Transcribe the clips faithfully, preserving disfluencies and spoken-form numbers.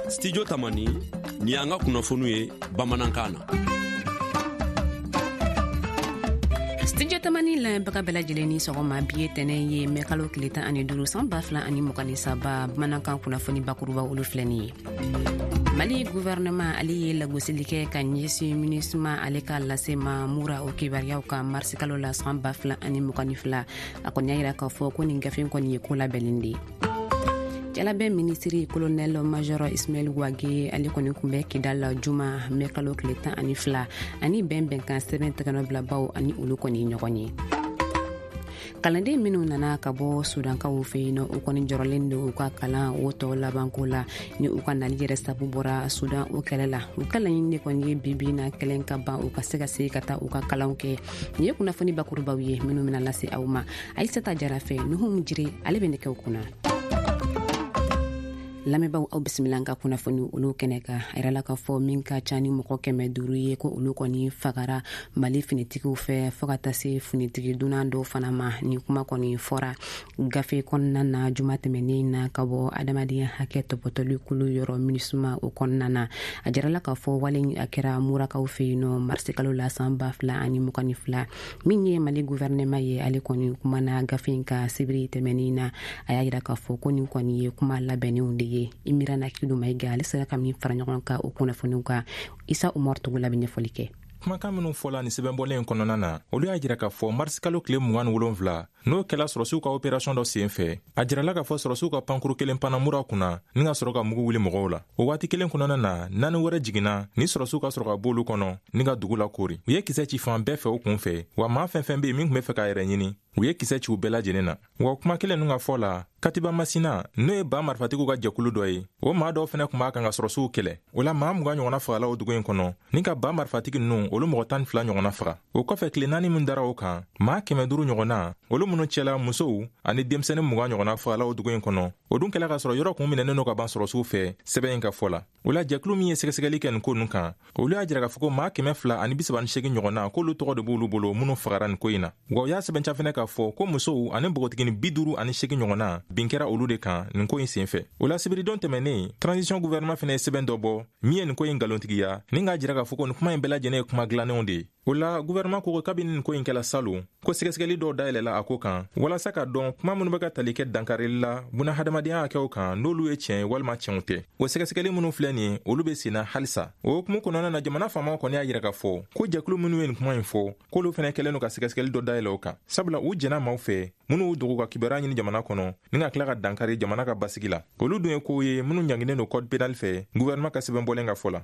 Studio Tamani, ni y'an ka kunnafoniw ye bamanankan na. Studio Tamani lamɛnbaga bɛɛ lajɛlen ni sɔgɔma. Bi ye tɛnɛ ye, mɛ kalo tile tan ani duuru, san ba fila ani mugan ni saba. Bamanankan kunnafoni bakuruba, olu filɛ nin ye. Mali gouvernement, ale ye lagosili kɛ ka ɲɛsin MINUSMA ale ka lase ma Mura o kibaruyaw kan marisi kalo la san ba fila ani mugan ni fila. A kɔni y'a yira k'a fɔ ko nin gafe kɔni ye ko labɛnnen de ye. Jalabɛn minisiri colonel major Ismail Wage, ale kɔni kun bɛ Kidal juma, mɛ kalo tile tan ani fila, ani bɛn bɛnkan sɛbɛn tɛgɛnɔbilabaw ani olu kɔni ɲɔgɔn ye. Kalanden minw nana ka bɔ Sudankaw fɛ yen nɔ, u kɔni jɔrɔlen don u ka kalan o tɔ labanko la, ni u ka nali yɛrɛ sabu bɔra Sudan o kɛlɛ la. U ka laɲini de kɔni ye bibi na kɛlɛ ka ban, u ka se ka se ka taa u ka kalanw kɛ. Nin ye kunnafoni bakurubaw ye minnu bɛna lase aw ma Ayisata Jara fɛ. Nuhum Jire, ale bɛ nɛgɛw kunna. Lamɛnbaw, aw bisimila an ka kunnafoni olu kɛnɛ kan. A yirala k'a fɔ min ka ca ni mɔgɔ kɛmɛ duuru ye, ko olu kɔni fagara Mali finitigiw fɛ, fɔɔ ka taa se finitigi dunan dɔw fana ma. Nin kuma kɔni fɔra gafe kɔnɔna na juma tɛmɛnen na ka bɔ adamadenya hakɛ tɔpɔtɔli kulu yɔrɔ MINUSMA o kɔnɔna na. A jirala k'a fɔ wale a kɛra Murakaw fɛ yen nɔ marisikalo la san ba fila ani mugan ni fila. Min ye Mali gouvernement ye, ale kɔni kumana gafe in ka sibiri tɛmɛnen na. A y'a yira k'a fɔ ko nin kɔni ye kuma labɛnnenw de ye. Imirana Kidu Mayiga, ale sera ka min fara ɲɔgɔn kan o kunnafoniw kan, Isa Umar Togola bɛ ɲɛfɔli kɛ. Kumakan minw fɔla ni sɛbɛnbɔlen kɔnɔna na, olu y'a jira k'a fɔ marisikalo tile mugan ni wolonfila, n'o kɛla sɔrɔsiw ka opération dɔ sen fɛ, a jirala k'a fɔ sɔrɔsiw ka pankuru kelen panna Mura kunna ni ka sɔrɔ ka mugu wuli mɔgɔw la. O waati kelen kɔnɔna na, naani wɛrɛ jiginna ni sɔrɔsiw ka sɔrɔ ka b'olu kɔnɔ ni ka dugu la kori. U ye kisɛ ci fan bɛɛ fɛ o kun fɛ, wa maa fɛn fɛn be yen min tun be fɛ k'a yɛrɛ ɲini, u ye kisɛ ci u bɛɛ lajɛlen na. Wa kuma kelen nun ka fɔ la, Katiba Masina, n'o ye ba marifatigiw ka jɛkulu dɔ ye, o maa dɔw fɛnɛ kun b'a kan ka sɔrɔsiw kɛlɛ. O la, maa mugan ɲɔgɔnna fagala o dugu in kɔnɔ, ni ka ba marifatigi ninnu, olu mɔgɔ tan ni fila ɲɔgɔnna faga. O kɔfɛ, tile naani min dara o kan, maa kɛmɛ duru ɲɔgɔnna, olu minnu cɛla musow ani denmisɛnnin mugan ɲɔgɔnna fagala o dugu in kɔnɔ. O dun kɛla k'a sɔrɔ yɔrɔ kun minɛnen don ka ban sɔrɔsiw fɛ, sɛbɛn in ka fɔ la. O la, jɛkulu min ye sɛgɛsɛgɛli kɛ nin ko ninnu kan, olu y'a jira k'a fɔ ko maa kɛmɛ fila ani bisaba ni segin ɲɔgɔnna, k'olu tɔgɔ de b'olu bolo minnu fagara nin ko in na. Wa u y'a sɛbɛnca fɛnɛ k'a fɔ ko musow ani npogotigini bi duuru ani segin ɲɔgɔnna bin kɛra olu de kan nin ko in sen fɛ. O la, sibiridon tɛmɛnen, transition gouvernement fɛnɛ ye sɛbɛn dɔ bɔ min ye nin ko in nkalontigiya, ni k'a jira k'a fɔ ko nin kuma in bɛɛ lajɛlen ye kuma dilannenw de ye. O la, gouvernement ko ko kabini nin ko in kɛla salon, ko sɛgɛsɛgɛli dɔw dayɛlɛla a ko kan walasa ka dɔn kuma minnu bɛ ka tali kɛ dankarili la buna hadamadenya hakɛw kan, n'olu ye tiɲɛ ye walima tiɲɛw tɛ. O sɛgɛsɛgɛli minnu filɛ nin ye, olu be senna halisa. O hukumu kɔnɔna na, jamana faamaw kɔni y'a yira k'a fɔ ko jɛkulu minnu ye nin kuma in fɔ, k'olu fɛnɛ kɛlen don ka sɛgɛsɛgɛli dɔ dayɛlɛ o kan, sabula u jɛnna maaw fɛ minnu y'u dogo ka kibaruya ɲini jamana kɔnɔ ni ka tila ka dankari jamana ka basigi la. Olu dun ye kow ye minnu ɲanginen don code pénal fɛ, gouvernement ka sɛbɛn bɔlen ka fɔ la.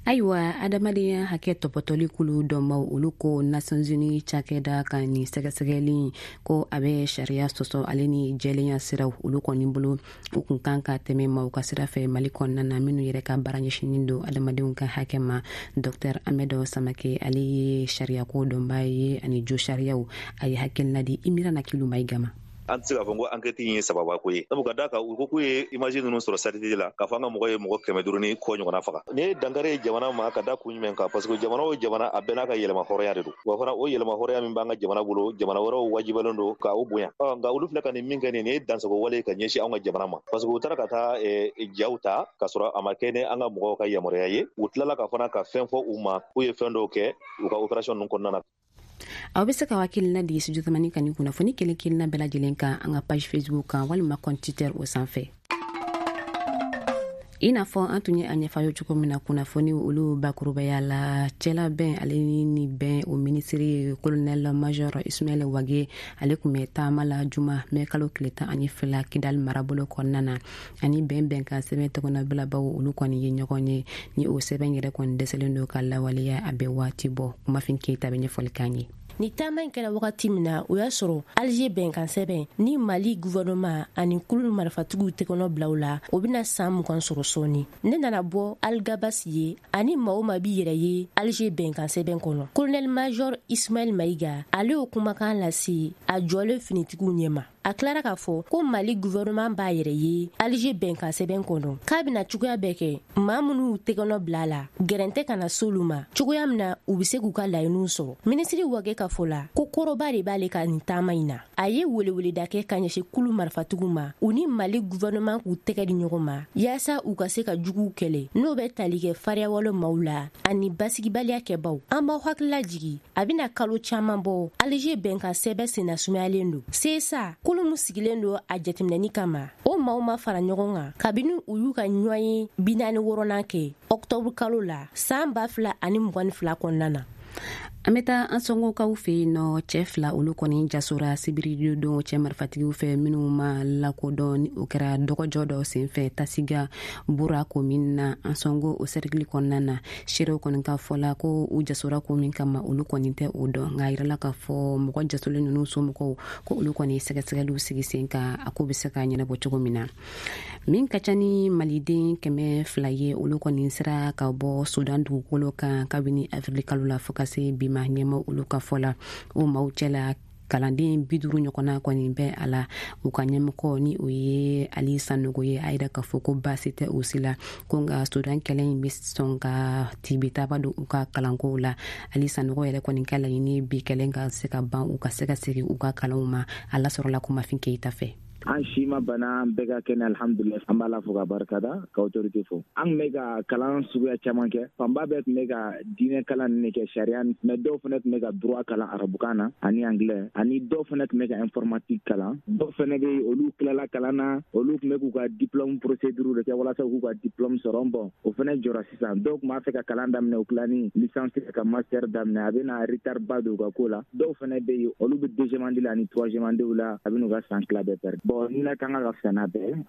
Ayiwa, adamadenya hakɛ tɔpɔtɔli kulu dɔnbaw, olu ko Nations Unies cakɛda ka nin sɛgɛsɛgɛli ko a bɛ sariya sɔsɔ ale ni jɛlenya siraw. Olu kɔni bolo, u kun kan ka tɛmɛ maaw ka sira fɛ Mali kɔnɔna na minnu yɛrɛ ka baara ɲɛsinin don adamadenw ka hakɛ ma. Dr Ahmed Samake, ale ye sariyako dɔnbaa ye ani jo sariyaw. A ye hakilina di Imirana Kilu Mayiga ma. An tɛ se k'a fɔ ko enquête in ye sababa ko ye, sabu ka d'a kan u ko k'u ye image ninnu sɔrɔ satellite la k'a fɔ an ka mɔgɔ ye mɔgɔ kɛmɛ duuru ni kɔ ɲɔgɔnna faga. Nin ye dankari ye jamana ma ka da kun jumɛn kan? Parce que jamana o jamana, a bɛɛ n'a ka yɛlɛma hɔrɔnya de don. Wa fana, o yɛlɛma hɔrɔnya min b'an ka jamana bolo, jamana wɛrɛw wajibalen don ka o bonya. Ɔ nka olu filɛ ka nin min kɛ nin, nin ye dansago wale ka ɲɛsin anw ka jamana ma, parce que u taara ka taa jaw ta k'a sɔrɔ a ma kɛ ni an ka mɔgɔw ka yamaruya ye. U tilala ka fana ka fɛn fɔ u ma k'u ye fɛn dɔw kɛ u ka opération ninnu kɔnɔna na. Aw bɛ se ka hakilina di Studio Tamani ka nin kunnafoni kelen kelenna bɛɛ lajɛlen kan an ka page Facebook kan walima compte Twitter o sanfɛ. I n'a fɔ an tun ye a ɲɛfɔ ye cogo min na kunnafoni olu bakurubaya la, cɛlabɛn ale ni bɛn o minisiri colonel major Ismail Wage, ale tun bɛ taama la juma, mɛ kalo tile tan ani fila, Kidali marabolo kɔnɔna na, ani bɛn bɛn kan sɛbɛn tɔgɔnabilabaw, olu kɔni ye ɲɔgɔn ye. Ni o sɛbɛn yɛrɛ kɔni dɛsɛlen don ka lawaleya, a bɛ waati bɔ. Kumafin Keyita bɛ ɲɛfɔli k'an ye. Ni taama in kɛra wagati min na, o y'a sɔrɔ Alger bɛnkan sɛbɛn ni Mali gouvernement ani kulu marifatigiw tɛgɛnɔ bila u la, o bɛna san mugan sɔrɔ sɔɔni. Ne nana bɔ Alghabass ye ani maa o maa b'i yɛrɛ ye Alger bɛnkan sɛbɛn kɔnɔ. Colonel major Ismail Mayiga, ale y'o kumakan lase a jɔlen finitigiw ɲɛma. A tilara k'a fɔ ko Mali gouvernement b'a yɛrɛ ye Alger bɛnkan sɛbɛn kɔnɔ, k'a bɛna cogoya bɛɛ kɛ maa minnu tɛgɛnɔ bila a la, gɛrɛntɛ kana s'olu ma cogoya min na u bɛ se k'u ka laɲiniw sɔrɔ. Minisiri Wage ka fɔ la ko kɔrɔba de b'ale ka nin taama in na. A ye weleweleda kɛ ka ɲɛsin kulu marifatigiw ma, u ni Mali gouvernement k'u tɛgɛ di ɲɔgɔn ma yaasa u ka se ka juguw kɛlɛ, n'o bɛ tali kɛ fariyawale maaw la ani basigibaliya kɛbaw. An b'aw hakilila jigi, a bɛna kalo caman bɔ Alger bɛnkan sɛbɛn senna sumayalen don. C S A kulu min sigilen don a jateminɛni kama, o maaw ma fara ɲɔgɔn kan kabini u y'u ka ɲɔgɔn ye bi naani wɔɔrɔnan kɛ ɔktɔburu kalo la san ba fila ani mugan ni fila kɔnɔna na. An bɛ taa Ansɔngɔkaw fɛ yen nɔ. Cɛ fila, olu kɔni jasora sibiri don cɛ marifatigiw fɛ minnu ma lakodɔn, ni o kɛra dɔgɔjɔ dɔ senfɛ Tasiga Bura komin na, Ansɔngo o sɛrikili kɔnɔna na. Seerew kɔni ka fɔ la ko u jasora ko min kama, olu kɔni tɛ o dɔn, nka a yirala k'a fɔ mɔgɔ jasolen ninnu somɔgɔw ko olu kɔni sɛgɛsɛgɛliw sigi sen kan, a ko bɛ se ka ɲɛnabɔ cogo min na. Min ka ca ni maliden kɛmɛ fila ye, olu kɔni sera ka bɔ Sudan dugukolo kan kabini avril kalo la fo ka se bi ma. Ɲɛma olu ka fɔ la, o maaw cɛla kalanden bi duuru ɲɔgɔnna kɔni bɛ a la. U ka ɲɛmɔgɔ, ni o ye Ali Sanogo ye, a yira k'a fɔ ko baasi tɛ o si la, ko nka Sudan kɛlɛ in bɛ sɔn ka tibitaba don u ka kalankow la. Ali Sanogo yɛrɛ kɔni ka laɲini bi kɛlɛ ka se ka ban, u ka se ka segin u ka kalanw ma. A lasɔrɔla Kumafin Keyita fɛ. An si ma bana, an bɛɛ ka kɛnɛ, alhamdulilah. An b'a la fo ka barikada, ka autorité fo. An tun bɛ ka kalan suguya caman kɛ. Fanba bɛɛ tun bɛ ka diinɛ kalan nin kɛ, sariya, mais dɔw fana tun bɛ ka droit kalan arabukan na ani anglais, ani dɔw fana tun bɛ ka informatique kalan. Dɔw fana bɛ yen, olu tilala kalan na, olu tun bɛ k'u ka diplôme procédure de kɛ walasa k'u ka diplôme sɔrɔ. Bon, o fana jɔra sisan. Dɔw tun b'a fɛ ka kalan daminɛ, u tila ni licence ka master daminɛ, a bɛ na retard ba don u ka ko la. Dɔw fana bɛ yen, olu bɛ deuxième année la ani troisième année la, a bɛ n'u ka san tila bɛɛ perdre. Bon, ni la kan ka fisa n'a bɛɛ.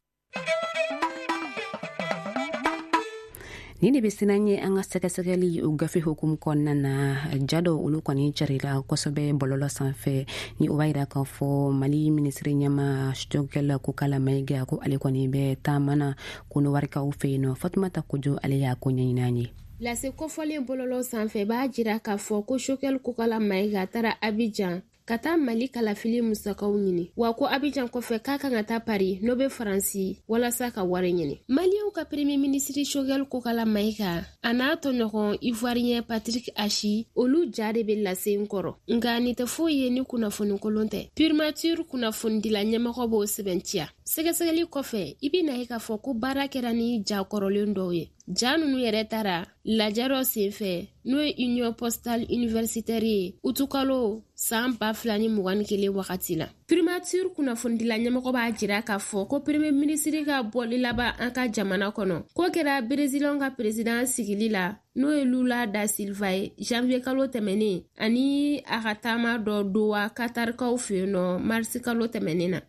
Nin de bɛ sinan ye an ka sɛgɛsɛgɛli o gafe hukumu kɔnɔna na. Ja dɔ, olu kɔni carila kosɛbɛ bɔlɔlɔ sanfɛ, ni o b'a yira k'a fɔ Mali minisiri ɲɛma Choguel Kokala Mayiga, ko ale kɔni bɛ taama na Kɔnɔwarikaw fɛ yen nɔ. Fatumata Kojo, ale y'a ko ɲɛɲini an ye. Lase kɔfɔlen bɔlɔlɔ sanfɛ b'a jira k'a fɔ ko Choguel Kokala Mayiga taara Abidjan ka taa Mali kalafili musakaw ɲini, wa ko Abijan kɔfɛ k'a kan ka taa Paris, n'o be Faransi, walasa ka wari ɲini. Maliyɛnw ka premier minisiri Choguel Kokala Mayiga a n'a tɔɲɔgɔn Ivoirien Patrick Achi, olu ja de be lase n kɔrɔ. Nka nin tɛ foyi ye ni kunnafoni kolon tɛ. Primature kunnafonidila ɲɛmɔgɔ b'o sɛbɛntiya. Sɛgɛsɛgɛli kɔfɛ, i bɛna ye k'a fɔ ko baara kɛra ni ja kɔrɔlen dɔw ye. Ja nunu yɛrɛ taara lajɛ dɔ senfɛ, n'o ye Union Postale Universitaire ye, utukalo san ba fila ni mugan ni kelen wagati la. Primature kunnafonidila ɲɛmɔgɔ b'a jira k'a fɔ ko premier minisiri ka bɔli laban an ka jamana kɔnɔ, k'o kɛra Brésilien ka président sigili la, n'o ye Lula da Silva ye, janvier kalo tɛmɛnen, ani a ka taama dɔ Doha, Katarikaw fɛ yen nɔ, marisi kalo tɛmɛnen na.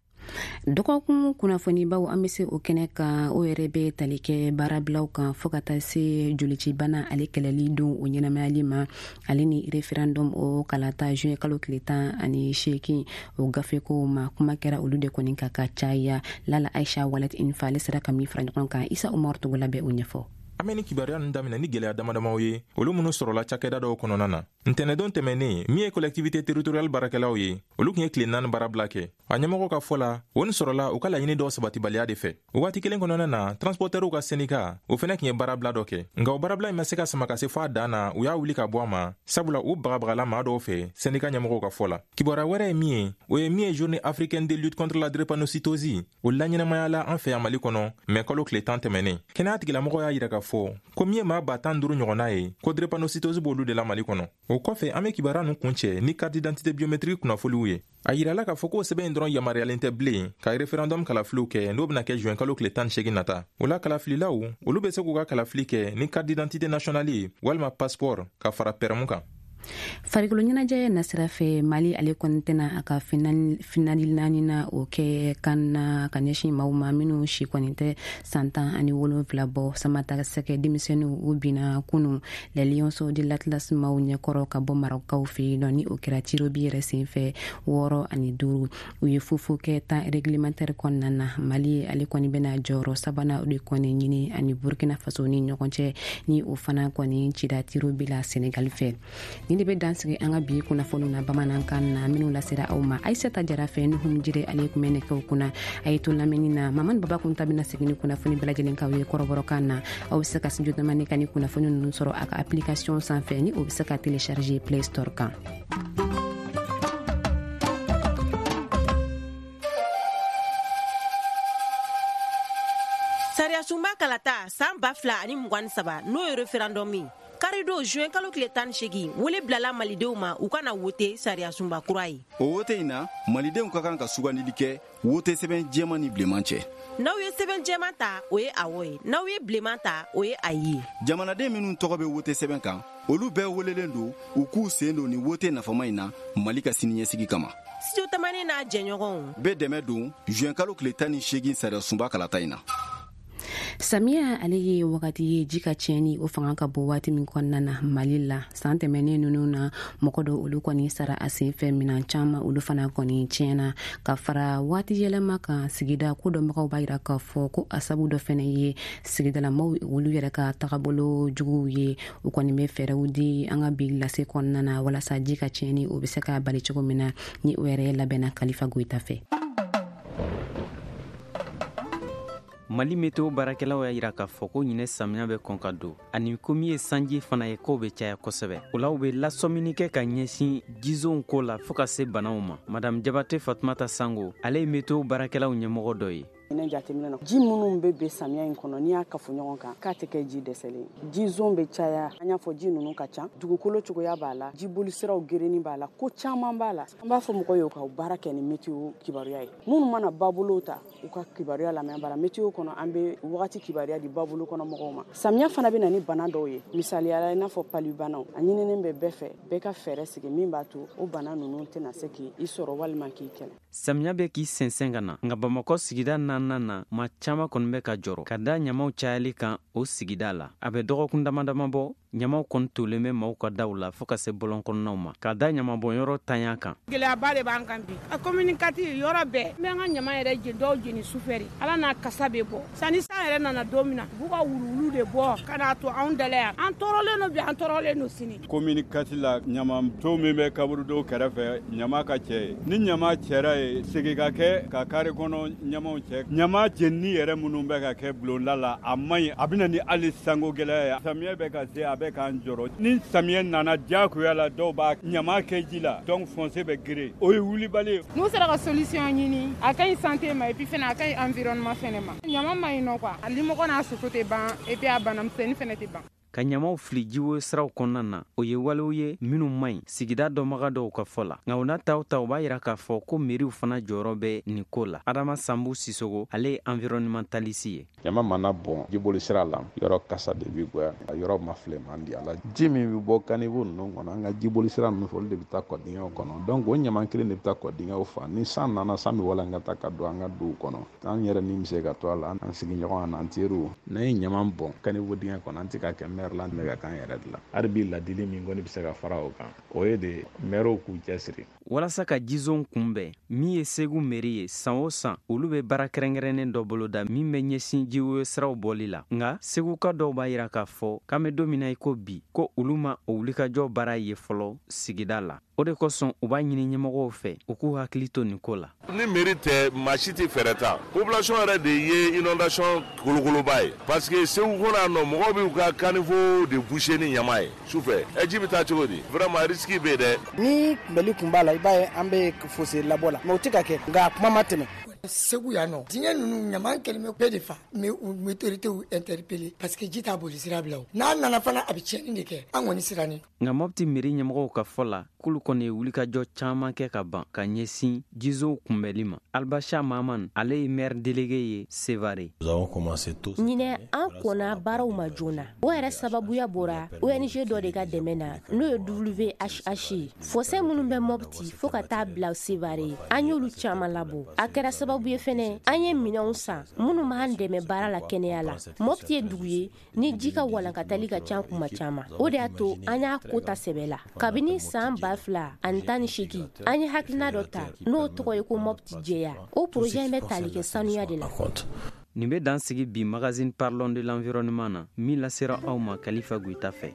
Dɔgɔkun kunnafonibaw, an bɛ se o kɛnɛ kan. O yɛrɛ bɛ tali kɛ baarabilaw kan fɔɔ ka taa se jolicibana ale kɛlɛli don o ɲɛnamayali ma, ale ni référendum o kalata juin kalo tile tan ani seegin o gafekow ma. Kuma kɛra olu de kɔni ka ka caya. Lala Aisha Walet Infa, ale sera ka min fara ɲɔgɔn kan, Isa Umaru Togola bɛ o ɲɛfɔ. An bɛ ni kibaruya ninnu daminɛ ni gwɛlɛya damadamaw ye, olu minnu sɔrɔla cakɛda dɔw kɔnɔna na ntɛnɛdon tɛmɛnen. Min ye collectivité territoriale baarakɛlaw ye, olu tun ye tile naani baarabila kɛ. A ɲɛmɔgɔ ka fɔ la, o nin sɔrɔla u ka laɲini dɔw sabatibaliya de fɛ. O waati kelen kɔnɔna na, transportɛriw ka syndicat, o fɛnɛ tun ye baarabila dɔ kɛ, nka o baarabila in ma se ka sama ka se fɔ a dan na. U y'a wuli ka bɔ a ma, sabula u bagabagala maa dɔw fɛ, syndicat ɲɛmɔgɔw ka fɔ la. Kibaruya wɛrɛ ye min ye, o ye min ye Journée africaine de lutte contre la drépanocytose, o laɲɛnamayala an fɛ yan Mali kɔnɔ mɛ kalo tile tan tɛmɛnen. Kɛnɛya tigilamɔgɔw y'a yira k'a fɔ ko min ye maa ba tan duuru ɲɔgɔnna ye, ko drépanocytose b'olu de la Mali kɔnɔ. O kɔfɛ, an be kibaruya nun kuncɛ ni carte d'identité biométrique kunnafoliw ye. A yirala k'a fɔ k'o sɛbɛn in dɔrɔn yamaruyalen tɛ bilen ka référendum kalafiliw kɛ, n'o bena kɛ juin kalo tile tan ni segin nata. O la, kalafililaw olu be se k'u ka kalafili kɛ ni carte d'identité nationale ye walima passeport ka fara pɛrɛmu kan. Farikolo ɲɛnajɛ nasira fɛ, Mali ale kɔni tɛna a ka finali naani na o kɛ kan na ka ɲɛsin maaw ma minnu si kɔni tɛ san tan ani wolonfila bɔ. Samata sɛgɛ denmisɛnninw, u binna kunu Les Lionceaux de l'Atlas maaw ɲɛkɔrɔ ka bɔ Marɔkaw fɛ yen nɔ, ni o kɛra tirs au but yɛrɛ senfɛ, wɔɔrɔ ani duuru. U ye fufu kɛ temps réglementaire kɔnɔna na. Mali ale kɔni bɛna jɔyɔrɔ sabanan o de kɔni ɲini ani Burkina Faso ni ɲɔgɔn cɛ, ni o fana kɔni cira tirs au but la Senegal fɛ. Ni Ni de bɛ dan sigi an ka bi kunnafoniw na bamanankan na minnu lasera aw ma Aïssata Jara fɛ Nuhum Jire ale tun bɛ nɛgɛw kunna. A ye to lamɛnni na Mamani Baba Kunta bɛna segin ni kunnafoni bɛɛ lajɛlen k'aw ye kɔrɔbɔrɔkan na. Aw bɛ se ka Studio Tamani ka ni kunnafoni ninnu sɔrɔ a ka application sanfɛ ni o bɛ se ka télécharger Play Store kan. Sariyasunba kalata san ba fila ani mugan ni saba n'o ye referendum ye karidon juin kalo tile tan ni seegin wele bilala malidenw ma u kana wote sariyasunba kura ye. O wote in na malidenw ka kan ka sugandili kɛ wote sɛbɛn jɛman ni bilenman cɛ. N'aw ye sɛbɛn jɛman ta o ye awɔ ye, n'aw ye bilenman ta o ye ayi ye. Jamanaden minnu tɔgɔ bɛ wote sɛbɛn kan olu bɛɛ welelen don u k'u sen don ni wote nafama in na Mali ka siniɲɛsigi kama. Studio Tamani n'a jɛɲɔgɔnw bɛɛ dɛmɛ don juin kalo tile tan ni seegin sariyasunba kalata in na. Samiya ale ye wagati ye ji ka tiɲɛni o fanga ka bon waati min kɔnɔna na Mali la. San tɛmɛnen ninnu na mɔgɔ dɔ olu kɔni sara a sen fɛ, minɛn caman olu fana kɔni tiɲɛna. Ka fara waati yɛlɛma kan sigida ko dɔnbagaw b'a yira k'a fɔ ko a sabu dɔ fɛnɛ ye sigidalamaw olu yɛrɛ ka tagabolo juguw ye. U kɔni bɛ fɛɛrɛw di an ka bi lase kɔnɔna na walasa ji ka tiɲɛni o bɛ se ka bali cogo min na, ni o yɛrɛ labɛnna Kalifa Goyita fɛ. Mali meteo baarakɛlaw y'a yira k'a fɔ ko ɲinɛ samiya bɛ kɔn ka don ani ko min ye sanji fana ye k'o bɛ caya kosɛbɛ. O la u bɛ lasɔmini kɛ ka ɲɛsin jizonw ko la fɔɔ ka se banaw ma. Madame Jabate Fatumata Sango ale ye meteo baarakɛlaw ɲɛmɔgɔ dɔ ye. Ne jateminɛ na ji minnu bɛ bɛn samiya in kɔnɔ n'i y'a kafo ɲɔgɔn kan k'a tɛ kɛ ji dɛsɛlen ye. Jizon bɛ caya, an y'a fɔ ji ninnu ka ca, dugukolo cogoya b'a la, jibolisiraw gerenni b'a la, ko caman b'a la. An b'a fɔ mɔgɔw ye u ka baara kɛ ni meteo kibaruya ye. Minnu mana babolo ta u ka kibaruya lamɛn bara meteo kɔnɔ an bɛ wagati kibaruya di babolo kɔnɔ mɔgɔw ma. Samiya fana bɛ na ni bana dɔw ye, misaliya la i n'a fɔ palubanaw. A ɲininen bɛ bɛɛ fɛ bɛɛ ka fɛɛrɛ sigi min b'a to o bana ninnu tɛna se k'i sɔrɔ walima k'i kɛlɛ. Samiya bɛ k'i sɛnsɛn ka na, nka Bamakɔ sigida naaninan na maa caman kɔni bɛ ka jɔrɔ ka da ɲamaw cayali kan o sigida la. A bɛ dɔgɔkun dama dama bɔ ɲamaw kɔni tolen bɛ maaw ka daw la fɔɔ ka se bɔlɔn kɔnɔnaw ma ka da ɲamabɔnyɔrɔ tanya kan. Gɛlɛyaba de b'an kan bi. A commune quatre yɔrɔ bɛɛ n bɛ an ka ɲama yɛrɛ jeni, dɔw jeni sufɛ de, ala n'a kasa bɛ bɔ. Sanni san yɛrɛ nana don min na u b'u ka wuluwulu de bɔ ka n'a to anw dala yan. An tɔɔrɔlen don bi, an tɔɔrɔlen don sini. Commune quatre la ɲamanton min bɛ kaburudo kɛrɛfɛ ɲama ka cɛ ye. Ni ɲama cɛra ye segin ka kɛ ka kare kɔnɔ ɲamaw cɛ. Ɲama jenini yɛrɛ minnu bɛ ka kɛ bulonda la a man ɲi, a bɛ na ni hali sanko gɛlɛya ye. Samiyɛ bɛ ka se a bɛ k'an jɔrɔ. Ni samiyɛ nana diyagoya la dɔw b'a ɲama kɛ ji la, donc fossé bɛ gere, o ye wulibali ye. N'u sera ka solution ɲini a ka ɲi santé ma et puis fɛnɛ a ka ɲi environnement fɛnɛ ma. Ɲama man ɲi nɔ quoi, a limɔgɔ n'a soso tɛ ban et puis a banamisɛnnin fɛnɛ tɛ ban. Ka ɲamaw fili jiwoyo siraw kɔnɔna na o ye walew ye minnu man ɲi sigida dɔnbaga dɔw ka fɔ la. Nka o n'a taw ta u b'a yira k'a fɔ ko meriw fana jɔyɔrɔ bɛ nin ko la. Adama Sanbu Sisogo ale ye environnementaliste ye. Ɲama mana bɔn jiboli sira la yɔrɔ kasa de bɛ goya, a yɔrɔ ma filɛ man di a la. Ji min bɛ bɔ caniveau ninnu kɔnɔ an ka jiboli sira ninnu fɛ olu de bɛ taa kɔdingɛw kɔnɔ, donc o ɲama kelen de bɛ taa kɔdingɛw fa. Ni san nana san bɛ walankata ka don an ka duw kɔnɔ, an yɛrɛ ni bɛ se ka to a la, an sigiɲɔgɔn an'an teriw. N'an ye ɲama bɔn caniveau dingɛ kɔnɔ an tɛ ka kɛ maire la ka kan yɛrɛ de la. Hali bi ladili min kɔni bɛ se ka fara o kan o ye de maires k'u cɛsiri walasa ka jizon kunbɛn. Min ye Segu mairie ye san o san olu bɛ baara kɛrɛnkɛrɛnnen dɔ boloda min bɛ ɲɛsin jiwoyo siraw bɔli la. Nka seguka dɔw b'a yira k'a fɔ k'an bɛ don min na i ko bi ko olu ma o wulikajɔ baara ye fɔlɔ sigida la. O de kosɔn u b'a ɲini ɲɛmɔgɔw fɛ u k'u hakili to nin ko la. Ni mairie tɛ maa si tɛ fɛɛrɛ ta. Population yɛrɛ de ye inondation kolokoloba ye parce que Segu kɔnɔ yan nɔ mɔgɔw b'u ka caniveau de boucher ni ɲama ye sufɛ. Ɛ ji bɛ taa cogo di? Vraiment risque bɛ yen dɛ. Ni kunbɛli kun b'a la i b'a ye an bɛ fossé labɔ la mais o tɛ ka kɛ, nka a kuma ma tɛmɛ. Segu yan nɔ diɲɛ ninnu ɲama kɛlen bɛ bɛɛ de fa, mais u autorités interpellé parce que ji t'a boli sira bila o. N'a nana fana a bɛ tiɲɛni de kɛ, an kɔni sirannen. Nka Mopti mairie ɲɛmɔgɔw ka fɔ la k'olu kɔni ye wulikajɔ caman kɛ ka ban ka ɲɛsin jizow kunbɛli ma. Albacha Maman ale ye maire délégué ye Sevare. Ɲinɛ an kɔnna baaraw ma joona. O yɛrɛ sababuya bɔra O N G dɔ de ka dɛmɛ na n'o ye W H H ye. Fossé minnu bɛ Mopti fo ka taa bila Sevare an y'olu caman labɔ. A kɛra sababu ye fɛnɛ an ye minɛnw san minnu b'an dɛmɛ baara la kɛnɛya la. Mopti ye dugu ye ni ji ka walankatali ka ca kuma caman. O de y'a to an y'a ko ta sɛbɛ la. Kabini san ba fila ani tan ni seegin an ye hakilina dɔ ta n'o tɔgɔ ye ko Mopti jɛya. O projet in bɛ tali kɛ sanuya de la. Nin bɛ dan sigi bi magazine Parlons de l'environnement na min lasera aw ma Kalifa Goyita fɛ.